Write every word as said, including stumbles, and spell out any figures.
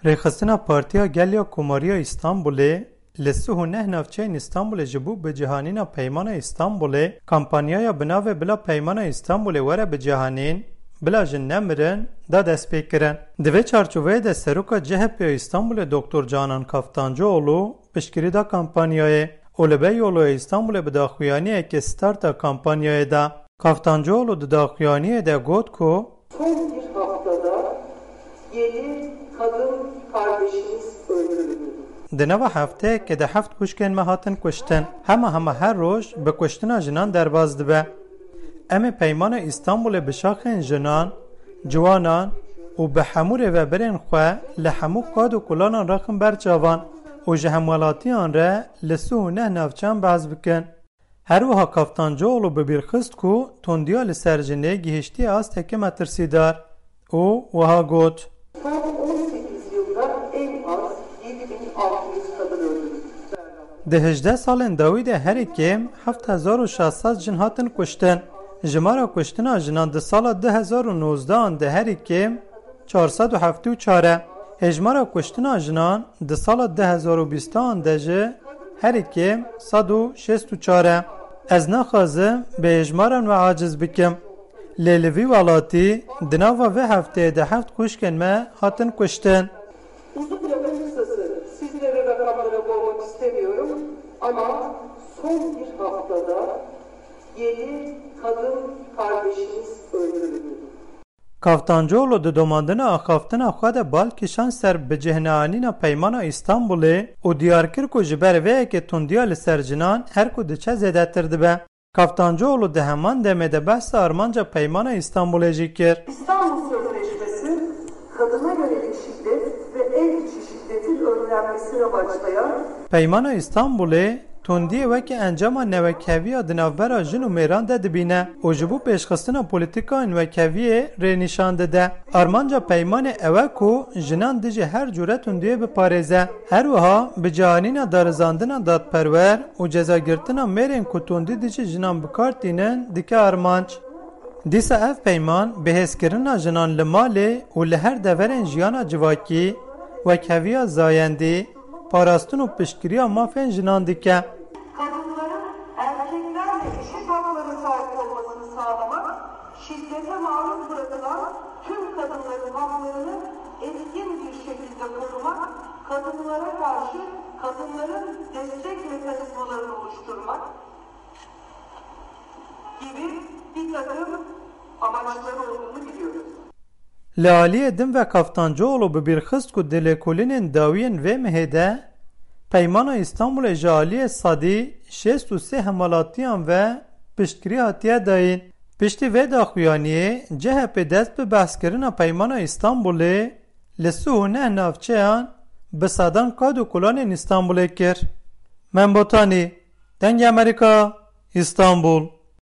Rêxistina Partiya Gel ya Komariya Îstanbulê li sih û neh navçeyên Îstanbulê ji bo bicihanîna Peymana Îstanbulê kampanyaya bi navê Bila Peymana Îstanbulê were bicihanîn, bila jin nemirin, da destpêkirin. Di vê çarçoveyê de Seroka C H P ya Îstanbulê Doktor Canan Kaftancıoğlu piştgirî da kampanyayê û li Beyoğlu ya Îstanbulê bi daxuyaniyekê starta kampanyayê da. Kaftancıoğlu di daxuyaniyê de got ku Son bir haftada yedi kadın kardeşimiz öldürüldü. Di nava hefteyekê de heft kuşkên me hatin kuştin. Hema hema her roj bi kuştina jinan derbas dibe. Em ê Peymana Îstanbulê bi şaxên jinan, ciwanan û bi hemû rêvebirên xwe li hemû qad û kulanan rexin ber çavan û ji hemwelatiyan re li sih û neh navçeyan behs bikin. Her wiha Kaftancıoğlu bi bîr xist ku tundiya li ser jinê gihiştiye astekê metirsîdar û wiha got: Son on sekiz yılda en az yedi bin altı yüz kadın öldürüldü. Di hejdeh salên dawî de herî kêm heft hezar û şeş sed jin hatin kuştin. Jimara kuştina jinan di sala du hezar û nozdeh an de herî kêm çar sed û heftê û çar e. Hêjmara kuştina jinan di sala du hezar û bîstan de jî herî kêm sed û şêst û çar e. Ez naxwazim bi hêjmaran we aciz bikim. Lê li vî welatî di nava vê hefteyê de heft xwişkên me hatin kuştin. Uzun lafın kısası, sizlere rakamlara boğmak istemiyorum ama son bir haftada yedi kadın kardeşimiz öldürüldü. Kaftancıoğlu di domandina axaftina xwe de bal kişand ser bicihneanîna Peymana Îstanbulê û diyar kir ku ji ber vê yekê tundiya li ser jinan her ku diçe zêdetir dibe. Kaftancıoğlu di heman demê de behsa armanca Peymana Îstanbulê jî kir. İstanbul Sözleşmesi kadına yönelik şiddet ve ev içi şiddetin önlenmesini amaçlayan Peymana Îstanbulê tundiyê weke encama newekheviya di navbera jin û mêran de dibîne û ji bo pêşxistina polîtîkayên wekheviyê rênîşan dide. Armanca peymanê ew e ku jinan dijî her cure tundiyê biparêze. Her wiha bi cihanîna darizandina dadperwer û cezagirtina mêrên ku tundî dijî jinan bi kar tînin dike armanc. Dîsa ev peyman bi hêzkirina jinan li malê û li her deverên jiyana civakî, wekheviya zayendî, parastin û piştgiriya mafên jinan dike. Kadınların erkeklerle eşit haklara sahip olmasını sağlamak, şiddete maruz bırakılan tüm kadınların haklarını etkin bir şekilde korumak, kadınlara karşı kadınların destek mekanizmalarını oluşturmak gibi bir takım amaçları olduğunu biliyoruz. Li aliyê din ve Kaftancıoğlu bi bîr xist ku di lêkolînên dawiyên vê mehê de Peymana Îstanbulê ji aliyê sedî şêst û sê hemwelatiyan ve piştgirî hatiye dayîn. Piştî vê daxuyaniyê C H P dest bi behskirina Peymana Îstanbulê li sih û neh navçeyan bi sedan qad û kulanên Îstanbulê kir. Membotanî, Dengê Amerîka, Îstanbul.